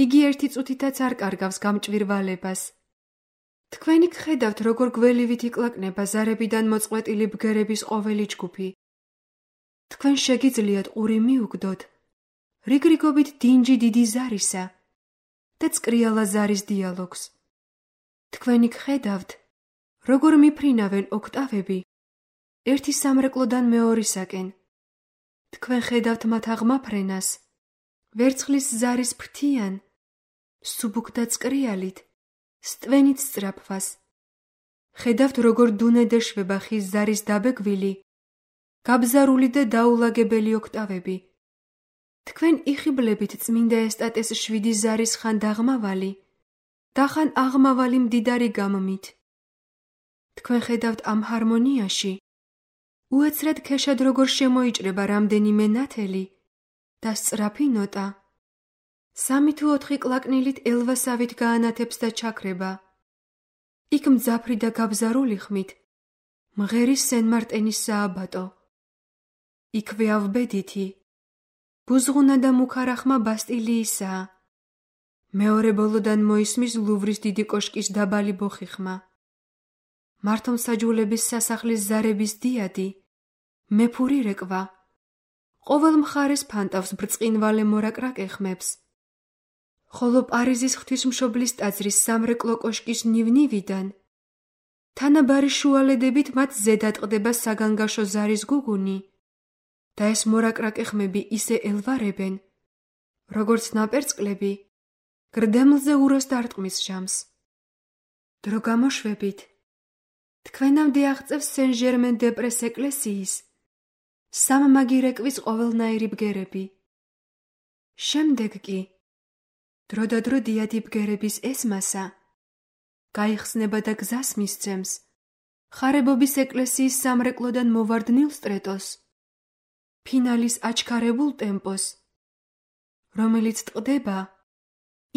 იგი ერთი წუთითაც არ კარგავს გამჭვირვალებას. თქვენი გხედავთ, როგორ გველივით იკლაკნება ზარებიდან მოწყვეტილი ბგერების ყოველი ჯგუფი. თქვენ შეგიძლიათ ყური მიუგდოთ, რიგრიგობით დინჯი დიდი ზარისა და წკრიალა ზარის დიალოგს. თქვენი გხედავთ, როგორ მიფრინავენ ოქტავები ერთი სამრეკლოდან მეორისაკენ. თქვენ ხედავთ მათ აღმაფრენას, ვერცხლის ზარის ფრთიან, სუბუქ და წკრიალით, სტვენით სწრაფვას. ხედავთ, როგორ დუნედ ეშვება ხის ზარის დაბეგვილი, გაბზარული და დაულაგებელი ოქტავები. თქვენ იხიბლებით წმინდა ესტატეს შვიდი ზარის ხან დაღმავალი და ხან აღმავალი მდიდარი გამმით. თქვენ ხედავთ ამ ჰარმონიაში, უეცრად ქეშად როგორ შემოიჭრება რამდენიმე ნათელი და სწრაფი ნოტა. სამი თუ ოთხი კლაკნილით ელვასავით გაანათებს და ჩაქრება. იქ მძაფრი და გაბზარული ხმით მღერი სენ-მარტენის სააბატო. იქვე ავბედითი, ბუზღუნა და მუქარახმა ბასტილიისაა. მეორე ბოლოდან მოისმის ლუვრის დიდი კოშკის დაბალი ბოხი-ხმა. მართლმსაჯულების სასახლის ზარების დიადი, მეფური რეკვა, ყოველ მხარეს ფანტავს ბრწყინვალე მორაკრაკე ხმებს. ხოლო პარიზის ღვთისმშობლის ტაძრის სამრეკლო კოშკის ნივნივიდან თანაბარი შუალედებით მათ ზედად ყდება საგანგაშო ზარის გუგუნი და ეს მორაკრაკე ხმები ისე ელვარებენ, როგორც ნაპერწკლები გრდემლზე უროს დარტყმის ჟამს. დრო გამოშვებით, თქვენამდე აღწევს სენ-ჟერმენ-დე-პრეს ეკლესიის სამმაგი რეკვის ყოველნაირი ბგერები. შემდეგ კი, დროდადრო დიადი ბგერების ეს მასა გაიხსნება და გზას მისცემს ხარებობის ეკლესიის სამრეკლოდან მოვარდნილ სტრეტოს, ფინალის აჩქარებულ ტემპოს, რომელიც ტყდება,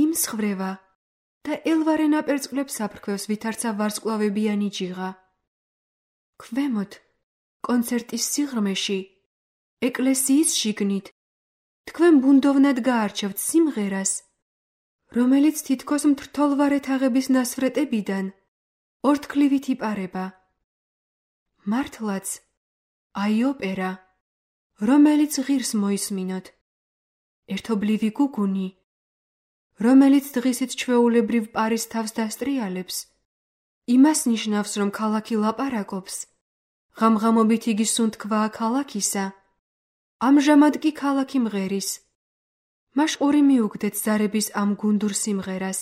იმსხვრევა და ელვარე ნაპერწკლებს აფრქვევს ვითარცა ვარსკვლავებიანი ჯიღა. ქვემოთ, კონცერტის სიღრმეში, ეკლესიის შიგნით, თქვენ ბუნდოვნად გაარჩევთ სიმღერას, რომელიც თითქოს მთრთოლვარე თაღების ნასვრეტებიდან ორთქლივით იპარება. მართლაც, აი ოპერა, რომელიც ღირს მოისმინოთ, ერთობლივი გუგუნი, რომელიც დღისით ჩვეულებრივ პარის თავს დასტრიალებს, იმას ნიშნავს, რომ ქალაქი ლაპარაკობს, ღამღამობით იგი სუნთქვაა ქალაქისა, ამჟამად კი ქალაქი მღერის. მაშყური მიუგდეთ ზარების ამ გუნდურ სიმღერას.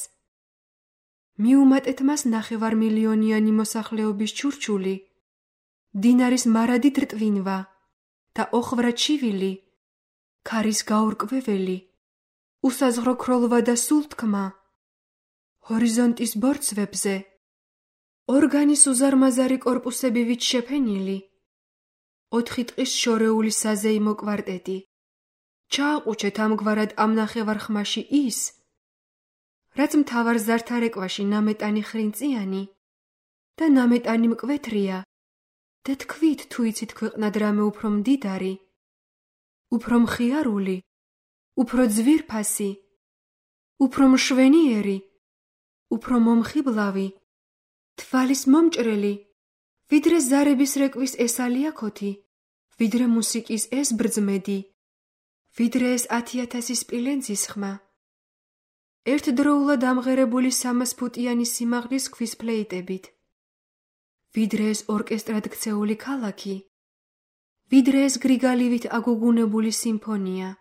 მიუმატეთ მას ნახევარმილიონიანი მოსახლეობის ჩურჩული, დინარის მარადი დრტვინვა და ოხვრა ჩივილი, ქარის გაურკვეველი, უსაზღვრო ქროლვა და სულთქმა, ჰორიზონტის ბორცვებზე, ორგანის უზარმაზარი კორპუსებივით შეფენილი, ოთხი ტყის შორეული საზეიმო კვარტეტი. ჩააყუჩეთ ამგვარად ამ ნახევარხმაში ის, რაც მთავარ ზართა რეკვაში ნამეტანი ხრინწიანი და ნამეტანი მკვეთრია და თქვით თუ იცით ქვეყნად რამე უფრო მდიდარი, უფრო მხიარული, უფრო ძვირფასი, უფრო მშვენიერი, უფრო მომხიბლავი, თვალის მომჭრელი, ვიდრე ზარების რეკვის ეს ალიაქოთი, ვიდრე მუსიკის ეს ბრძმედი, ვიდრე ეს ათიათასი სპილენძის ხმა. ერთდროულად ამღერებული სამას ფუტიანი სიმაღლის ქვის ფლეიტებით, ვიდრე ეს ორკესტრად ქცეული ქალაქი, ვიდრე ეს გრიგალივით აგუგუნებული სიმფონია.